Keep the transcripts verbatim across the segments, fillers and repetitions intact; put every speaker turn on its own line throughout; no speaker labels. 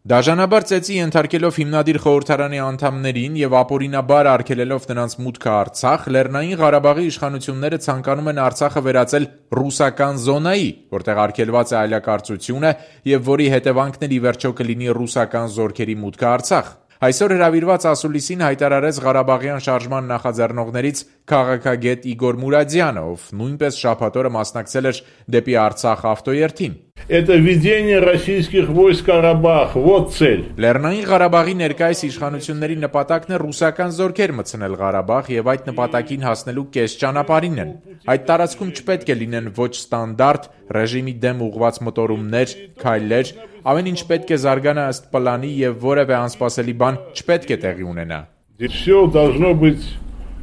Դաժանաբար ծեծի ենթարկելով հիմնադիր խորհրդարանի անդամներին եւ ապօրինաբար արգելելով նրանց մուտքը Արցախ, Լեռնային Ղարաբաղի իշխանությունները ցանկանում են Արցախը վերածել ռուսական զոնայի, որտեղ արգելված է այլակարծությունը եւ որի հետևանքն ի վերջո կլինի ռուսական զորքերի մուտքը Արցախ։ Այսօր հրավիրված ասուլիսին հայտարարեց Ղարաբաղյան շարժման նախաձեռնողներից քաղաքագետ Իգոր Մուրադյանը, ով նույնպես շաբաթ օրը մասնակցել էր դեպի Արցախ ավտոերթին։
Это введение российских войск в Карабах, вот цель.
Լեռնային Ղարաբաղի ներկայիս իշխանությունների նպատակն է ռուսական զորքեր մտցնել Ղարաբաղ եւ այդ նպատակին հասնելու կես ճանապարհին են։ Այդ տարածքում չպետք է լինեն ոչ ստանդարտ ռեժիմի դեմ ուղղված մոտորումներ, քայլեր, ամեն ինչ պետք է զարգանա ըստ պլանի եւ որևէ անսպասելի բան չպետք է տեղի ունենա։
Все должно быть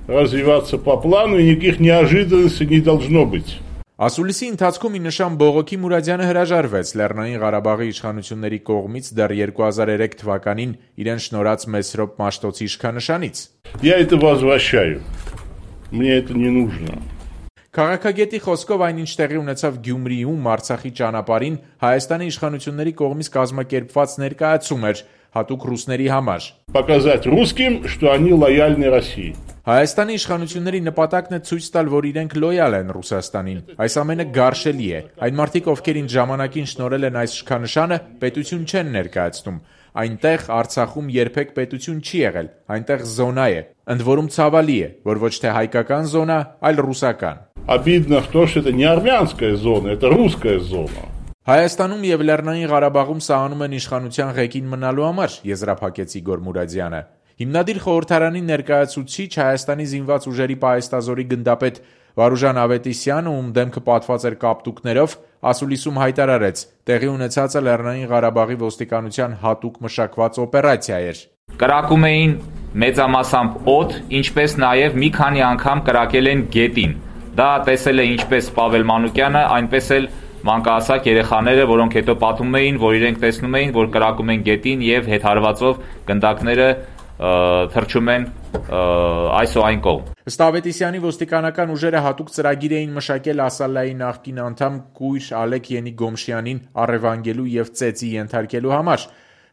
развиваться по плану, и никаких неожиданностей не должно быть.
Ասուլիսի ընթացքում ի նշան բողոքի Մուրադյանը հրաժարվեց Լեռնային Ղարաբաղի իշխանությունների կողմից դեռ երկու հազար երեք թվականին իրեն շնորհած Մեսրոպ Մաշտոցի իշխանշանից։
Я это возвращаю. Мне это не нужно.
Քաղաքագետի խոսքով այնինչ տեղի ունեցավ Գյումրիում Արցախի ճանապարհին Հայաստանի իշխանությունների կողմից կազմակերպված ներկայացում էր հատուկ ռուսների համար։
Показать русским, что они лояльны России.
Հայաստանի իշխանությունների նպատակն է ցույց տալ, որ իրենք լոյալ են Ռուսաստանին։ Այս ամենը գարշելի է։ Այն մարդիկ, ովքեր ինչ ժամանակին շնորհել են այս իշխանշանը, պետություն չեն ներկայացնում։ Այնտեղ Արցախում երբեք պետություն չի եղել, այնտեղ զոնա է։ Ընդ որում ցավալի է, որ ոչ թե հայկական զոնա, այլ ռուսական։
Обидно в том, что это не армянская зона, это русская зона.
Հայաստանում եւ Լեռնային Ղարաբաղում սահանում են իշխանության ղեկին մնալու համար, եզրափակեց Իգոր Մուրադյանը։ Հիմնադիր խորհրդարանի ներկայացուցիչ Հայաստանի զինված ուժերի պահեստազորի գնդապետ Վարուժան Ավետիսյանը, ում դեմքը պատված էր կապտուկներով, ասուլիսում հայտարարեց. տեղի ունեցածը Լեռնային Ղարաբաղի ոստիկանության հատուկ մշակված օպերացիա էր։
Կրակում էին մեծամասամբ օդ, ինչպես նաև մի քանի անգամ կրակել են գետին։ Դա տեսել է ինչպես Պավել Մանուկյանը, այնպես էլ մանկահասակ երեխաները, որոնք հետո պատմում էին, որ իրենք տեսնում էին, որ կրակում են գետին եւ հետհարվածով գնդակները թռչում են այս ու այն կողմ։
Ըստ Ավետիսյանի ոստիկանական ուժերը հատուկ ծրագիր էին մշակել Ասալայի նախկին անդամ Կույր Ալեք Յենի Գոմշյանին առևանգելու եւ ծեծի ենթարկելու համար,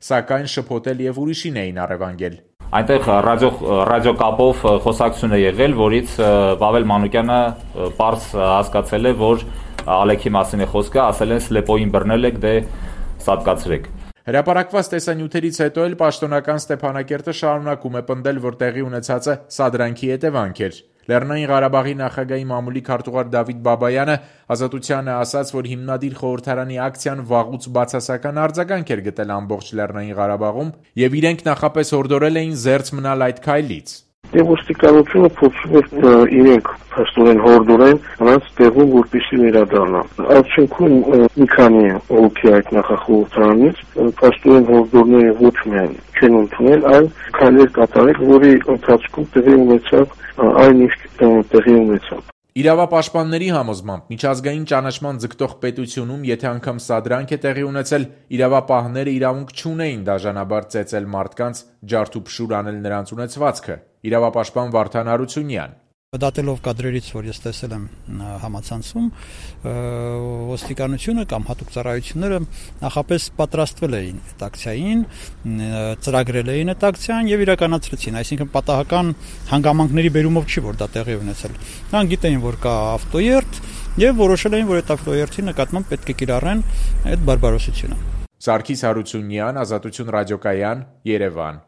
սակայն շփոթել եւ ուրիշին էին առևանգել։
Այնտեղ ռադիո ռադիոկապով խոսակցություն է եղել, որից Պավել Մանուկյանը պարզ հասկացել է, որ Ալեքի մասին է խոսքը, ասել են սլեպոյին բռնել եք, դե սատկացրեք։
Հրապարակված տեսանյութերից հետո էլ պաշտոնական Ստեփանակերտը շարունակում է պնդել, որ տեղի ունեցածը սադրանքի հետևանք էր։ Լեռնային Ղարաբաղի նախագահի մամուլի քարտուղար Դավիթ Բաբայանը Ազատությանը ասաց, որ հիմնադիր խորհրդարանի ակցիան վաղուց բացասական արձագանք էր գտել ամբողջ Լեռնային Ղարաբաղում եւ իրենք նախապես հորդորել էին զերծ մնալ այդ քայլից։
Ոստիկանությունը փորձում էր իրենք փաստորեն հորդորեն նրանց տեղում որպեսզի վերադառնա։ Արդյունքում մի քանի հոգի այդ նախախորհրդարանից փաստորեն հորդորները ոչ միայն չեն ընդունել, այլ քայլեր կատարել, որի ընթացքում տեղի ունեցավ այն ինչ տեղի ունեցավ։
Իրավապաշտպանների համոզմամբ միջազգային ճանաչման ձգտող պետությունում, եթե անգամ սադրանք է տեղի ունեցել, իրավապահները իրավունք չունեին դաժանաբար ծեծել մարդկանց, ջարդ ու փշուր անել նրանց ունեցվածքը։ Իրավապաշտպան Վարդան Հարությունյան։
Դատելով կադրերից, որ ես տեսել եմ համացանցում, ոստիկանությունը կամ հատուկ ծառայությունները նախապես պատրաստվել էին այդ ակցիային, ծրագրել էին այդ ակցիան եւ իրականացրեցին, այսինքն պատահական հանգամանքների բերումով չի, որ դա տեղի ունեցել։ Նրանք գիտեին, որ կա ավտոերթ եւ որոշել էին, որ այդ ավտոերթի նկատմամբ պետք է կիրառեն այդ բարբարոսությունը։
Սարգիս Հարությունյան, Ազատություն ռադիոկայան, Երևան։